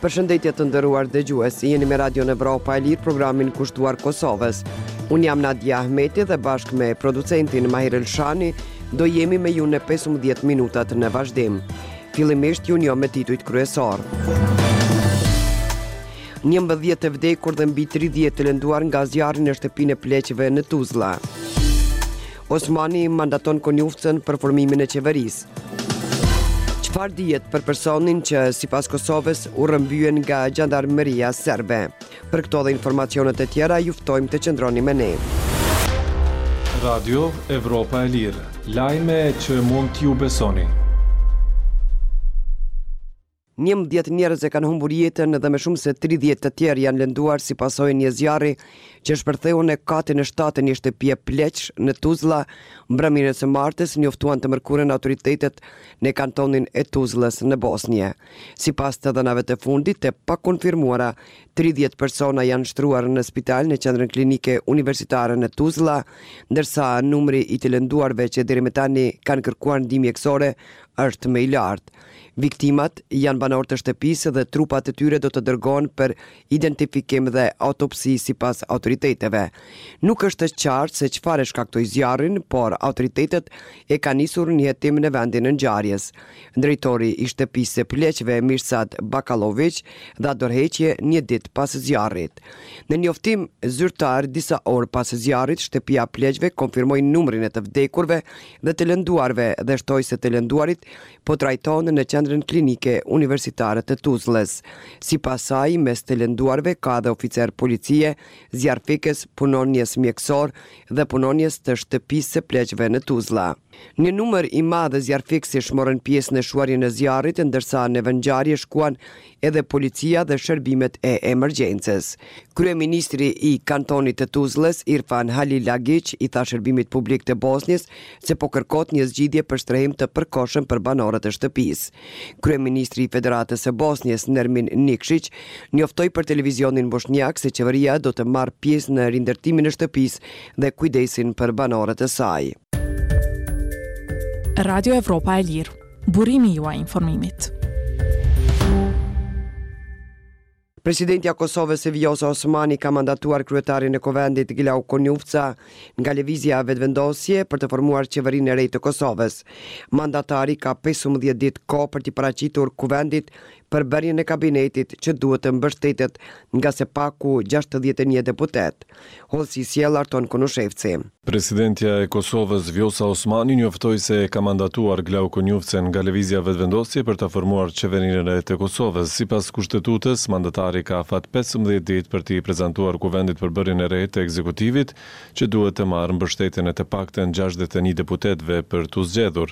Përshëndetje të nderuar dëgjues, jeni me Radion Evropa e Lirë, programin kushtuar Kosovës. Unë jam Nadia Ahmeti dhe bashkë me producentin Mahir Elshani do jemi me ju në 15 minutat në vazhdim. Fillimisht ju njoh me titujt kryesorë. 11 të vdekur dhe mbi 30 të lënduar nga zjarri në shtëpinë e pleqve në Tuzla. Osmani mandaton Konjufcën për formimin e qeverisë. Çfarë dihet për personin që sipas Kosovës u rrëmbye nga xhandarmëria serbe? Për këto dhe informacionet e tjera ju ftojmë të qëndroni me ne. Radio Evropa e Lirë, lajme që mund t'ju besoni. 11 njerëz e kanë humbur jetën dhe më shumë se 30 të tjerë janë lënduar si pasojë e një zjarri që shpërtheu në katin e shtatë të një shtëpie pleqsh në Tuzla mbrëmjen e së martës, njoftuan të mërkurën autoritetet në kantonin e Tuzlës në Bosnje. Sipas të dhënave të fundit të pakonfirmuara, 30 persona janë shtruar në spital në qendrën klinike universitare në Tuzla, ndërsa numri i të lënduarve që deri më tani kanë kërkuar ndihmë mjekësore është më i lartë. Viktimat janë banorë të shtëpisë dhe trupat e tyre do të dërgohen për identifikim dhe autopsi sipas autoriteteve. Nuk është e qartë se çfarë e shkaktoi zjarrin, por autoritetet e kanë nisur një hetim në vendin e ngjarjes. Drejtori i shtëpisë së pleqve Mirsad Bakalloviq dha dorëheqje një ditë pas zjarrit. Në njoftim zyrtar disa orë pas zjarrit, shtëpia e pleqve konfirmoi numrin e të vdekurve dhe të lënduarve dhe shtoi se të lënduarit po trajtohen në Qendrën Klinike Universitare të Tuzlës. Sipas saj, mes të lënduarve ka edhe oficerë policie, zjarrfikës, punonjës mjekësorë dhe punonjës të shtëpisë së pleqve në Tuzla. Një numër i madh zjarrfikësish morën pjesë në shuarjen e zjarrit, ndërsa në vendngjarje shkuan edhe policia dhe shërbimet e emergjencës. Kryeministri i Kantonit të Tuzlës, Irfan Halilagiq, i tha shërbimit publik të Bosnjës se po kërkohet një zgjidhje për strehim të përkohshëm për banorët e shtëpisë. Kryeministri i Federatës së Bosnjës, Nermin Nikshiq, njoftoi për televizionin boshnjak se qeveria do të marrë pjesë në rindërtimin e shtëpisë dhe kujdesin për banorët e saj. Radio Evropa e Lirë Burimi juaj i informimit. Presidentja e Kosovës Vjosa Osmani ka mandatuar kryetarin e Kuvendit Glauk Konjufca nga Lëvizja Vetëvendosje për të formuar qeverinë e re të Kosovës. Mandatari ka 15 ditë kohë për t'i paraqitur Kuvendit përbërjen e kabinetit që duhet të mbështetet nga së paku 61 deputetë. Hollësi sjell Arton Konushevci. Presidentja e Kosovës, Vjosa Osmani njoftoi se e ka mandatuar Glauk Konjufcën nga Lëvizja Vetëvendosje për ta formuar qeverinë e re të Kosovës. Sipas Kushtetutës, mandatari ka afat 15 ditë për t'i prezantuar Kuvendit përbërjen e re të ekzekutivit, që duhet të marrë mbështetjen e të paktën 61 deputetëve për t'u zgjedhur.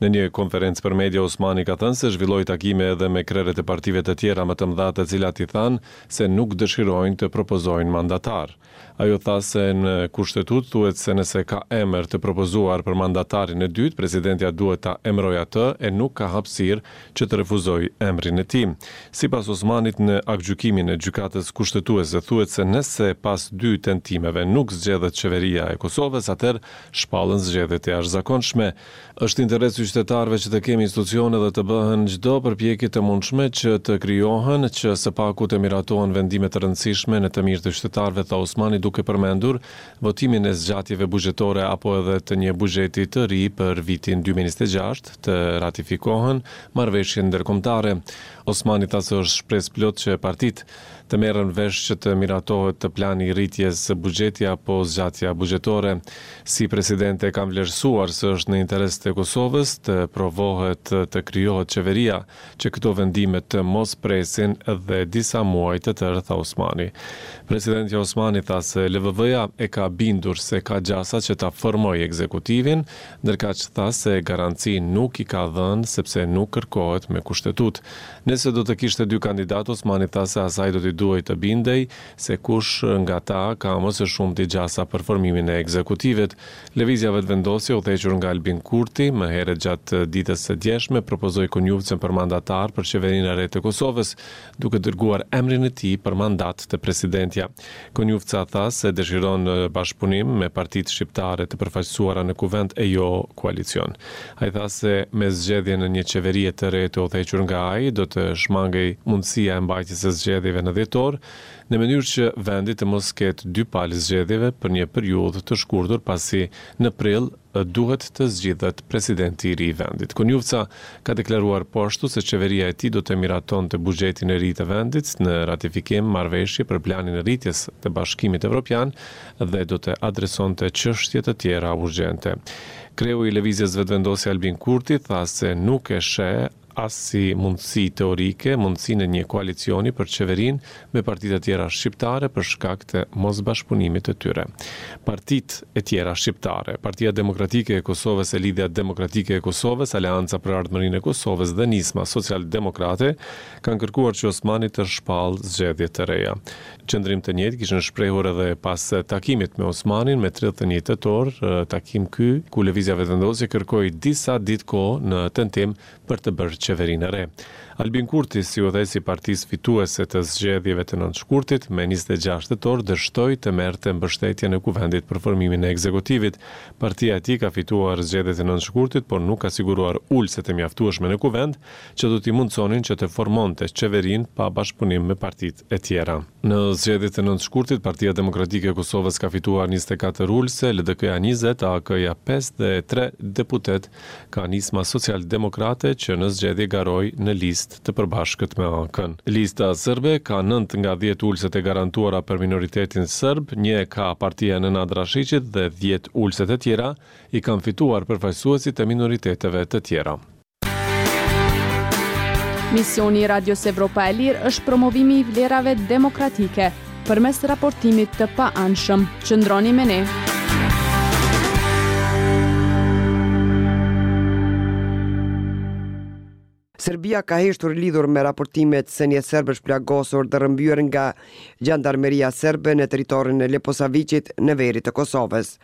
Në një konferencë për media, Osmani ka thënë se zhvilloi takime edhe me krerët e partive të tjera më të mëdha të cilat i thanë se nuk dëshirojnë të propozojnë mandatar. Ajo tha se në Kushtetutë thuhet se nëse ka emër të propozuar për mandatarin e dytë, presidentja duhet ta emërojë atë e nuk ka hapësirë që të refuzojë emrin e tij. Sipas Osmanit në aktgjykimin e Gjykatës Kushtetuese thuhet se nëse pas dy tentimeve nuk zgjedhet qeveria e Kosovës atëherë shpallen zgjedhje të jashtëzakonshme. Është interes i qytetarëve që të kemi institucione dhe të bëhen çdo përpjekje të mundshme që të krijohen, që së paku të miratohen vendime të rëndësishme në të mirë të qytetarëve, tha Osmani duke përmendur votimin e zgjatjeve buxhetore apo edhe të një buxheti të ri për vitin 2026, të ratifikohen marrëveshje ndërkombëtare. Osmani tha se është shpresëplotë që partitë të merren vesh që të miratohet plani i rritjes së buxheti apo zgjatja buxhetore. Si presidente kam vlerësuar se është në interes të Kosovës të provohet të krijohet qeveria, që këto vendime të mos presin dhe disa muaj të tërë, tha Osmani. Presidentja Osmani tha se LVV-ja e ka bindur se ka gjasa që ta formojë ekzekutivin, ndërkaq tha se garanci nuk i ka dhënë sepse nuk kërkohet me Kushtetutë. Nëse do të kishte dy kandidatë, Osmani tha se asaj do t'i. duhej të bindej se kush nga ta ka më së shumti gjasa për formimin e ekzekutivit. Lëvizja Vetëvendosje, udhëhequr nga Albin Kurti, më herët gjatë ditës së djeshme propozoi Konjufcën për mandatar për qeverinë e re të Kosovës, duke dërguar emrin e tij për mandat te presidentja. Konjufca tha se dëshiron bashkëpunim me partitë shqiptare të përfaqësuara në Kuvend e jo koalicion. Ai tha se me zgjedhjen e një qeverie të re të udhëhequr nga ai do të shmangej mundësia e mbajtjes së zgjedhjeve në dhjetor, në mënyrë që vendi të mos ketë dy palë zgjedhjeve për një periudhë të shkurtër pasi në prill duhet të zgjidhet presidenti i ri i vendit. Konjufca ka deklaruar po ashtu se qeveria e tij do të miratonte buxhetin e ri të vendit në ratifikim marrëveshje për planin e rritjes të Bashkimit Evropian dhe do të adresonte çështje të tjera urgjente. Kreu i Lëvizjes Vetëvendosje Albin Kurti tha se nuk e sheh as si mundësi teorike mundësinë e një koalicioni për qeverinë me partitë e tjera shqiptare për shkak të mosbashkëpunimit të tyre. Partitë e tjera shqiptare, Partia Demokratike e Kosovës e Lidhja Demokratike e Kosovës, Aleanca për Ardhmërinë e Kosovës dhe Nisma Socialdemokrate kanë kërkuar që Osmani të shpallë zgjedhje të reja. Qëndrim të njëjtë kishin shprehur edhe pas takimit me Osmanin me 31 tetor, takim ky ku Lëvizja Vetëvendosje kërkoi disa ditë kohë në tentim për të bërë qeverinë e re. Albin Kurti, si udhëheqës i partisë fituese të zgjedhjeve të 9 shkurtit, me 26 tetor dështoi të merrte mbështetjen e Kuvendit për formimin e ekzekutivit. Partia e tij ka fituar zgjedhjet e 9 shkurtit, por nuk ka siguruar ulëse të mjaftueshme në Kuvend, që do t'i mundësonin që të formonte qeverinë pa bashkëpunim me partitë e tjera. Në zgjedhjet e 9 shkurtit, Partia Demokratike e Kosovës ka fituar 24 ulëse, LDK-ja 20, AAK-ja 5 dhe 3 deputetë ka Nisma Socialdemokrate që në zgjedhje garoi në listë të përbashkët me AAK-në. Lista Serbe ka 9 nga 10 ulëset e garantuara për minoritetin serb, një e ka partia e Nenad Rashiqit dhe 10 ulëset e tjera i kanë fituar përfaqësuesit e minoriteteve të tjera. Misioni i Radios Evropa e Lirë është promovimi i vlerave demokratike përmes raportimit të paanshëm. Qëndroni me ne. Serbia ka heshtur lidhur me raportimet se një serb është plagosur dhe rrëmbyer nga xhandarmeria serbe në territorin e Leposaviqit në veri të Kosovës.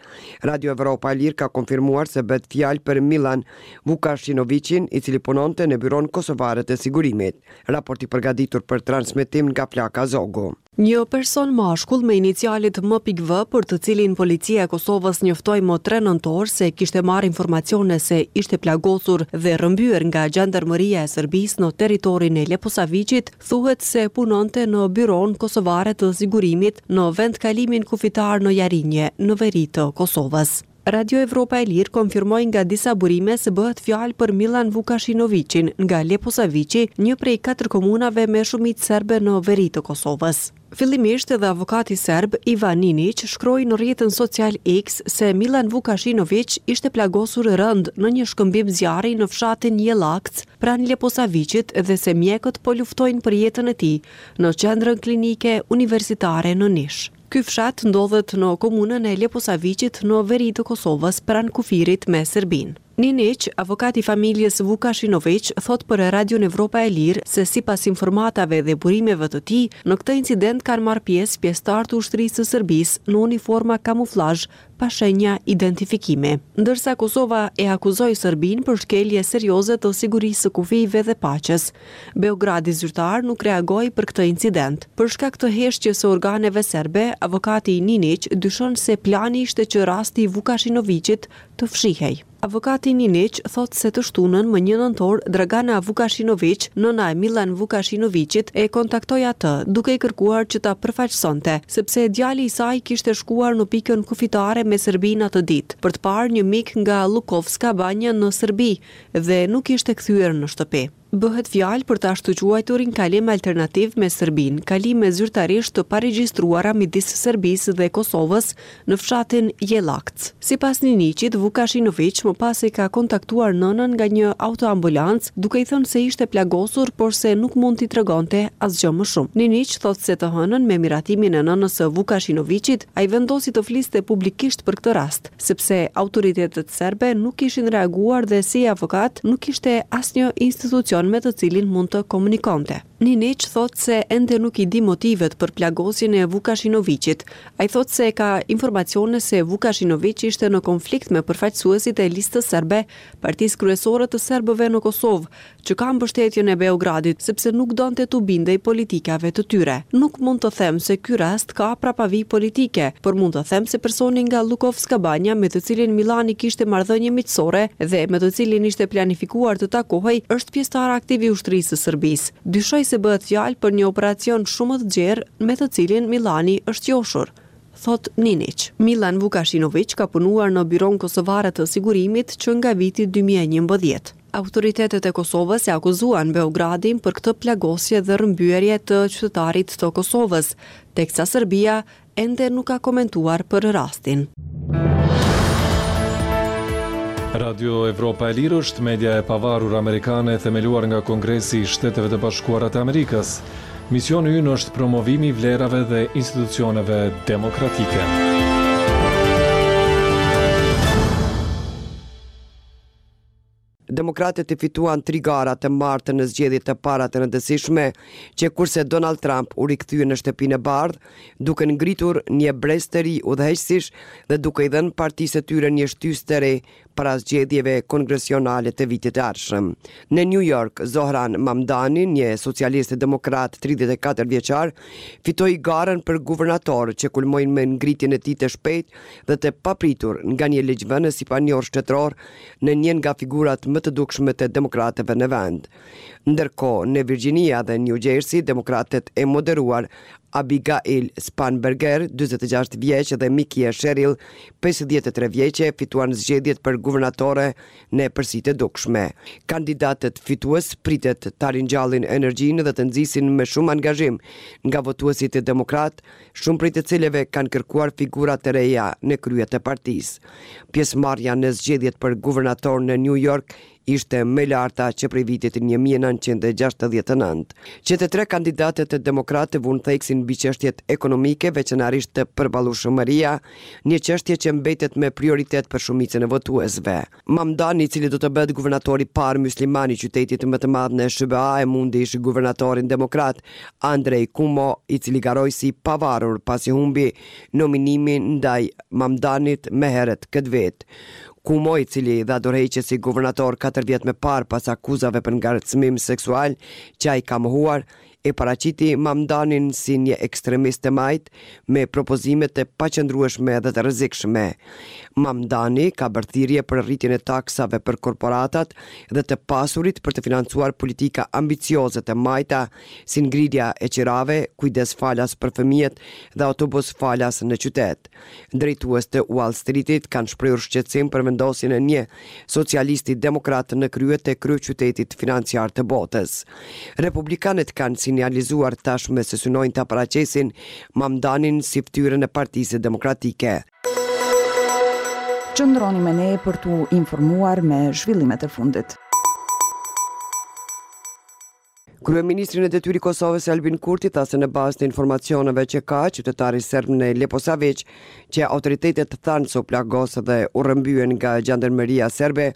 Radio Evropa e Lirë ka konfirmuar se bëhet fjalë për Milan Vukashinoviqin, i cili punonte në Byronë Kosovare të Sigurimit. Raport i përgatitur për transmetim nga Flaka Zogu. Një person mashkull me inicialet M.V për të cilin Policia e Kosovës njoftoi më 3 nëntor se kishte marrë informacione se ishte plagosur dhe rrëmbyer nga xhandarmëria e Serbisë në territorin e Leposaviqit, thuhet se punonte në Byronë Kosovare të Sigurimit në vendkalimin kufitar në Jarinje, në veri të Kosovës. Radio Evropa e Lirë konfirmoi nga disa burime se bëhet fjalë për Millan Vukashinoviqin nga Leposaviqi, një prej katër komunave me shumicë serbe në veri të Kosovës. Fillimisht edhe avokati serb, Ivan Niniq, shkroi në rrjetin social X se Millan Vukashinoviq ishte plagosur rëndë në një shkëmbim zjarri në fshatin Jellakc pranë Leposaviqit dhe se mjekët po luftojnë për jetën e tij në Qendrën Klinike Universitare në Nish. Ky fshat ndodhet në komunën e Leposaviqit në veri të Kosovës pranë kufirit me Serbinë. Niniq, avokat i familjes Vukashinoviq, thotë për Radion Evropa e Lirë se sipas informatave dhe burimeve të tij, në këtë incident kanë marrë pjesë pjesëtarë të ushtrisë së Serbisë në uniforma kamuflazh pa shenja identifikimi. Ndërsa Kosova e akuzoi Serbinë për shkelje serioze të sigurisë së kufijve dhe paqes. Beogradi zyrtar nuk reagoi për këtë incident. Për shkak të heshtjes së organeve serbe, avokati Niniq dyshon se plani ishte që rasti i Vukashinoviqit të fshihej. Avokati Niniq thotë se të shtunën, më një nëntor, Dragana Vukashinoviq, nëna e Millan Vukashinoviqit, e kontaktoi atë, duke i kërkuar që ta përfaqësonte, sepse djali i saj kishte shkuar në pikën kufitare me Serbinë atë ditë, për të parë një mik nga Lukovska Banja në Serbi dhe nuk ishte kthyer në shtëpi. Bëhet fjalë për të ashtuquajturin kalim alternativ me Serbinë, kalime zyrtarisht të paregjistruara midis Serbisë dhe Kosovës në fshatin Jellakc. Sipas Niniqit, Vukashinoviq më pas e ka kontaktuar nënën nga një autoambulancë, duke i thënë se ishte plagosur, por se nuk mund t'i tregonte asgjë më shumë. Niniq thotë se të hënën, me miratimin e nënës së Vukashinoviqit, ai vendosi të fliste publikisht për këtë rast. sepse autoritetet serbe nuk kishin reaguar dhe si avokat nuk kishte asnjë institucion. person me të cilin mund të komunikonte. Niniq thotë se ende nuk i di motivet për plagosjen e Vukashinoviqit. Ai thotë se ka informacione se Vukashinoviq ishte në konflikt me përfaqësuesit e Listës Serbe, partisë kryesore të serbëve në Kosovë, që ka mbështetjen e Beogradit, sepse nuk donte t'u bindej politikave të tyre. Nuk mund të them se ky rast ka prapavijë politike, por mund të them se personi nga Llukovska Banja me të cilin Millani kishte marrëdhënie miqësore dhe me të cilin ishte planifikuar të takohej është pjesëtar aktiv i ushtrisë së Serbisë. Dyshoj se bëhet fjalë për një operacion shumë më të gjerë me të cilin Millani është joshur. Thotë Niniq. Millan Vukashinoviq ka punuar në Byronë Kosovare të Sigurimit që nga viti 2011. Autoritetet e Kosovës e akuzuan Beogradin për këtë plagosje dhe rrëmbyerje të qytetarit të Kosovës, teksa Serbia ende nuk ka komentuar për rastin. Radio Evropa e Lirë është media e pavarur amerikane e themeluar nga Kongresi i Shteteve të Bashkuara të Amerikës. Misioni ynë është promovimi i vlerave dhe institucioneve demokratike. Demokratët i fituan tri gara të martën në zgjedhjet e para të rëndësishme, që kurse Donald Trump u rikthye në Shtëpinë e Bardhë, duke ngritur një brez të ri udhëheqësish dhe duke i dhënë partisë së tyre një shtysë të re para zgjedhjeve kongresionale të vitit të ardhshëm. Në New York, Zohran Mamdani, një socialist demokrat 34 vjeçar, fitoi garën për guvernator që kulmoi me ngritjen e tij të shpejtë dhe të papritur nga një ligjvënës i panjohur shtetëror në një nga figurat më të dukshme të demokratëve në vend. Ndërkohë, në Virginia dhe New Jersey, demokratët e moderuar Abigail Spanberger, 46 vjeç dhe Mikie Sherrill, 53 vjeçe, fituan zgjedhjet për guvernatore në epërsi të dukshme. Kandidatët fitues pritet ta ringjallin energjinë dhe të nxisin më shumë angazhim nga votuesit demokratë, shumë prej të cilëve kanë kërkuar figura të reja në krye të partisë. Pjesëmarrja në zgjedhjet për guvernator në New York ishte më e larta që prej vitit 1969. Që të tre kandidatët demokratë vunë theksin mbi çështjet ekonomike, veçanërisht të përballueshmëria, një çështje që mbetet me prioritet për shumicën e votuesve. Mamdani, i cili do të bëhet guvernatori i parë mysliman i qytetit më të madh në SHBA, e mundi ish guvernatorin demokrat Andrew Cuomo, i cili garoi si i pavarur pasi humbi nominimin ndaj Mamdanit më herët këtë vit. Cuomo, i cili dha dorëheqje si guvernator katër vjet më parë pas akuzave për ngacmim seksual që ai ka mohuar, e paraqiti Mamdanin si një ekstremist të majtë me propozime të paqëndrueshme dhe të rrezikshme. Mamdani ka bërë thirrje për rritjen e taksave për korporatat dhe të pasurit për të financuar politika ambicioze të majta si ngritja e qirave, kujdes falas për fëmijët dhe autobus falas në qytet. Drejtues të Wall Streetit kanë shprehur shqetësim për vendosjen e një socialisti demokrat në krye të kryeqytetit financiar të botës. Republikanët kanë sinjalizuar tashmë se synojnë ta paraqesin Mamdanin si fytyrën e Partisë Demokratike. Qëndroni me ne për t'u informuar me zhvillimet e fundit. Kryeministri në detyrë i Kosovës Albin Kurti tha se në bazë të informacioneve që ka, qytetari serb në Leposaviq, që autoritetet thanë se u plagos dhe u rrëmbye nga xhandarmëria serbe,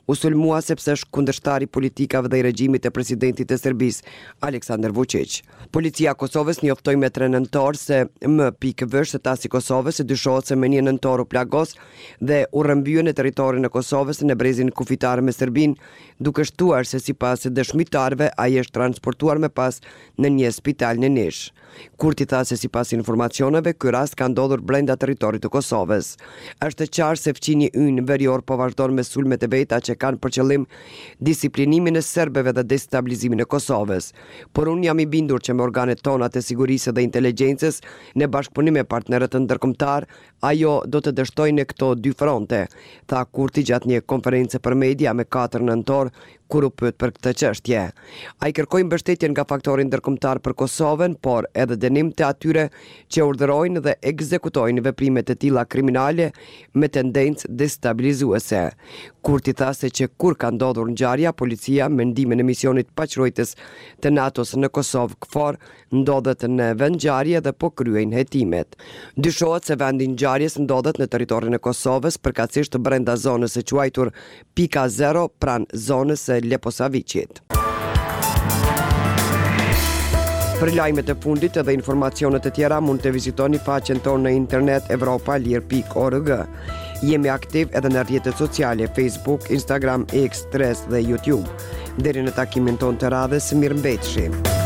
u sulmua sepse është kundërshtar i politikave dhe i regjimit të presidentit të Serbisë, Aleksandar Vučić. Policia e Kosovës njoftoi me 3 nëntor se M.V. shtetas i Kosovës se dyshohet se më 1 nëntor u plagos dhe u rrëmbye në territorin e Kosovës në brezin kufitar me Serbinë, duke shtuar se sipas dëshmitarëve ai është transportuar më pas në një spital në Nish. Kurti tha se sipas informacioneve ky rast ka ndodhur brenda territorit të Kosovës. Është e qartë se fqinji ynë verior po vazhdon me sulmet e veta që kanë për qëllim disiplinimin e serbëve dhe destabilizimin e Kosovës. Por unë jam i bindur që me organet tona të sigurisë dhe inteligjencës, në bashkëpunim me partnerët ndërkombëtarë, Ajo do të dështojë në këto dy fronte, tha Kurti gjatë një konference për media me 4 nëntor, kur u pyet për këtë çështje. Ai kërkoi mbështetje nga faktori ndërkombëtar për Kosovën, por edhe dënim të atyre që urdhërojnë dhe ekzekutojnë veprime të tilla kriminale me tendencë destabilizuese. Kurti tha se që kur ka ndodhur ngjarja, policia me ndihmën e misionit paqeruajtës të NATO-s në Kosovë, KFOR, ndodhet në vendngjarje dhe po kryejnë hetimet. Dyshohet se vendi i ngjarjes ndodhet në territorin e Kosovës, përkatësisht brenda zonës së quajtur Pika Zero pranë zonës së Leposaviqit. Për lajmet e fundit edhe informacionet e tjera mund të vizitoni faqen tonë në internet evropaelire.org. Jemi aktiv edhe në rrjetet sociale Facebook, Instagram, X, Threads dhe YouTube. Deri në takimin tonë të radhës, mirëmbetshi.